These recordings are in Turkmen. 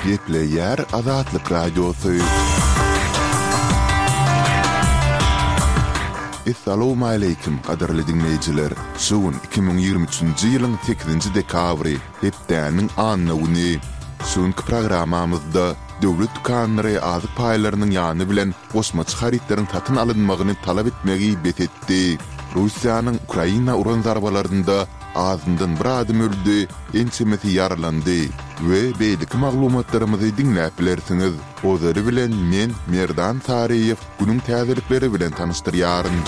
Gepleýär Azatlyk Radiosy. Essalawmaleýkim, gadyrly diňleýjiler! Şu gün 2023-nji ýylyň sekizinji dekabry, hepdäniň anna güni. Şu günki programmamyzda döwlet dükanlary azyk paýlarynyň ýany bilen goşmaça harytlaryň satyn alynmagyny talap etmegi bes etdi. Russiýanyň Ukraina uran zarbalarynda azyndan bir adam öldi, ençemesi ýaralandy we beýleki maglumatlarymyzy diňläp bilersiňiz. Ozaly bilen men, Merdan Saryýew, günüň täzelikleri bilen tanyşdyrýaryn.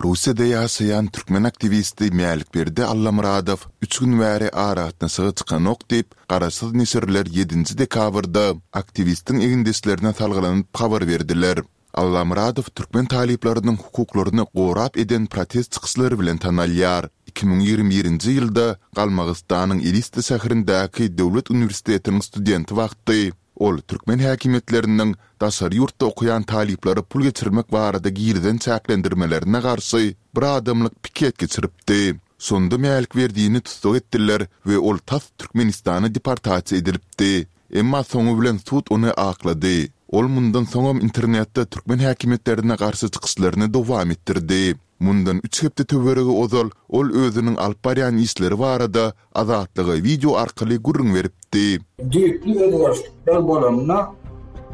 Russiýada ýaşaýan türkmen aktiwisti Mälikberdi Allamyradow üç gün bäri aragatnaşyga çykanok diýip, garaşsyz neşirler ýedinji dekabrda aktiwistiň egindeşlerine salgylanyp habar berdiler. Allamyradow türkmen talyplarynyň hukuklaryny gorap eden protest çykyşlary bilen tanalýar. 2021-nji ýylda Galmagystanyň Elista şäherindäki döwlet uniwersitetiniň studenti wagty ol türkmen häkimiýetleriniň daşary ýurtda okaýan talyplara pul geçirmek barada girizen çäklendirmelerine garşy bir adamlyk piket geçiripdi. Şonda Mälikberdini tussag etdiler we ol tas Türkmenistana deportasiýa edilipdi. Emma soňy bilen sud ony aklady. Ol mundan soňam internetde türkmen häkimiýetlerine garşy çykyşlaryny dowam etdirdi. Mundan üç hepde töweregi ozal ol özüniň alyp barýan işleri barada Azatlyga wideo arkaly gürrüň beripdi. Düýpli özgerişlikler bolanda,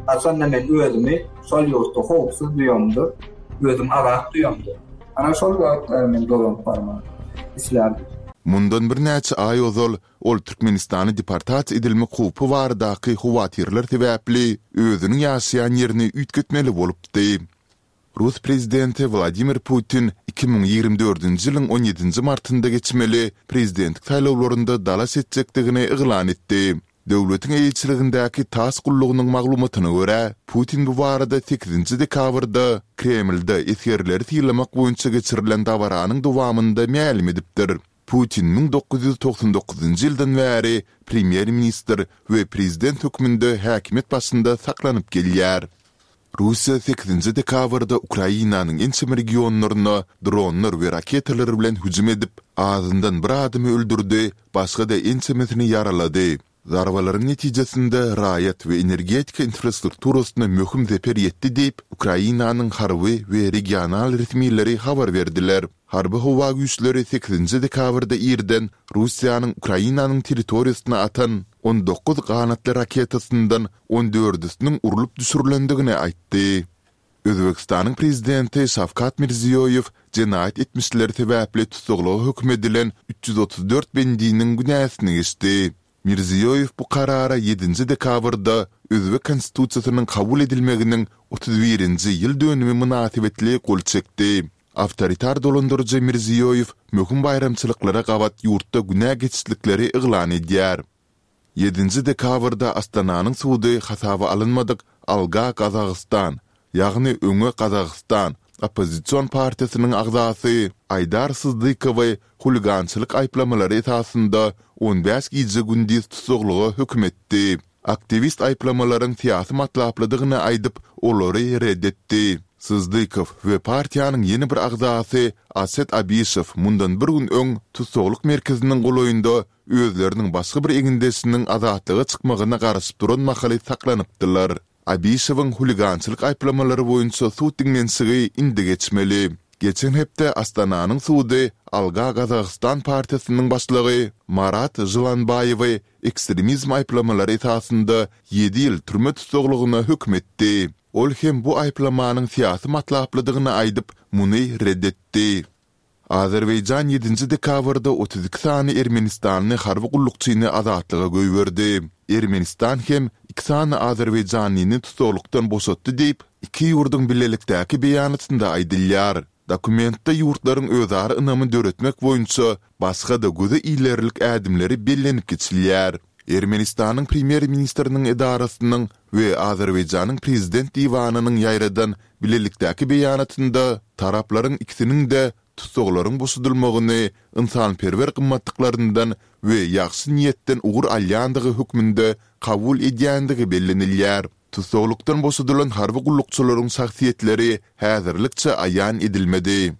haçanda men özümi şol ýurtda howpsuz duýamda, özümi azat duýamda, ana şol wagtlar men dolanyp barmak islärdim. Mundan birnäçe aý ozal ol Türkmenistana deportasiýa edilmek howpy baradaky howatyrlar sebäpli özüniň ýaşaýan ýerini üýtgetmeli bolupdy. Rus prezidenti Wladimir Putin 2024-nji ýylyň on ýedinji martynda geçmeli prezidentlik saýlawlarynda dalaş etjekdigini yglan etdi. Döwletiň eýeçiligindäki tass gullugynyň maglumatyna görä, Putin bu barada sekizinji dekabrda Kremlde esgerleri sylamak boýunça geçirilen dabaranyň dowamynda mälim edipdir. Putin 1999-njy ýyldan bäri premýer-ministr we prezident hökmünde häkimiýet başynda saklanyp gelýär. Russiýa sekizinji dekabrda Ukrainanyň ençeme regionlaryna dronlar we raketalar bilen hüjüm edip, azyndan bir adamy öldürdi, başga-da ençemesini ýaralady. Zarbalaryň netijesinde raýat we energetika infrastrukturasyna möhüm zeper ýetdi diýip, Ukrainanyň harby we regional resmileri habar berdiler. Harby howa güýçleri sekizinji dekabrda irden Russiýanyň Ukrainanyň territoriýasyna atan 19 ganatly raketasyndan on dördüsiniň urlup düşürilendigini aýtdy. Özbegistanyň prezidenti Şawkat Mirziýoýew jenaýat etmişleri sebäpli tussaglyga höküm edilen 334 bendiniň günäsini geçdi. Mirziýoýew bu karara ýedinji dekabrda özbek Konstitusiýasynyň kabul edilmeginiň otuz birinji ýyl dönümi mynasybetli gol çekdi. Awtoritar dolandyryjy Mirziýoýew möhüm baýramçylyklara gabat ýurtda günä geçişlikleri yglan edýär. Ýedinji dekabrda Astananyň sudy hasaba alynmadyk Alga Gazagystan, ýagny Öňe Gazagystan oppozision partiýasynyň agzasy Aýdar Syzdykowy huligançylyk aýyplamalary esasynda on bäş gije-gündiz tussaglyga höküm etdi. Aktiwist aýyplamalaryň syýasy matlaplydygyny aýdyp, olary ret etdi. Syzdykow we partiýanyň ýene bir agzasy Aset Abişew mundan bir gün öň tussaglyk merkeziniň golaýynda özleriniň başga bir egindeşiniň azatlyga çykmagyna garaşyp duran mahaly saklanypdylar. Abişewiň huligançylyk aýyplamalary boýunça sud diňlenişigi indi geçmeli. Geçen hepde Astananyň sudy Alga Gazagystan partiýasynyň başlygy Marat Žylanbaýewi ekstremizm aýyplamalary esasynda ýedi ýyl türme tussaglygyna höküm etdi. Ol hem bu aýyplamanyň syýasy matlaplydygyny aýdyp, muny ret etdi. Azerbaýjan ýedinji dekabrda 32 sany ermenistanly harby gullukçyny azatlyga goýberdi. Ermenistan hem iki sany azerbaýjanlyny tussaglykdan boşatdy diýip, iki ýurduň bilelikdäki beýanatynda aýdylýar. Dokumentde ýurtlaryň özara ynamy döretmek boýunça başga-da göze ilerlik ädimleri bellenip geçilýär. Ermenistanyň premýer-ministriniň edarasynyň we Azerbaýjanyň prezident diwanynyň ýaýradan bilelikdäki beýanatynda taraplaryň ikisiniň-de tussaglaryň boşadylmagyny ynsanperwer gymmatlyklaryndan we ýagşy niýetden ugur alýandygy hökmünde kabul edýändigi bellenilýär. Tussaglykdan boşadylan harby gullukçylaryň şahsyýetleri häzirlikçe aýan edilmedi.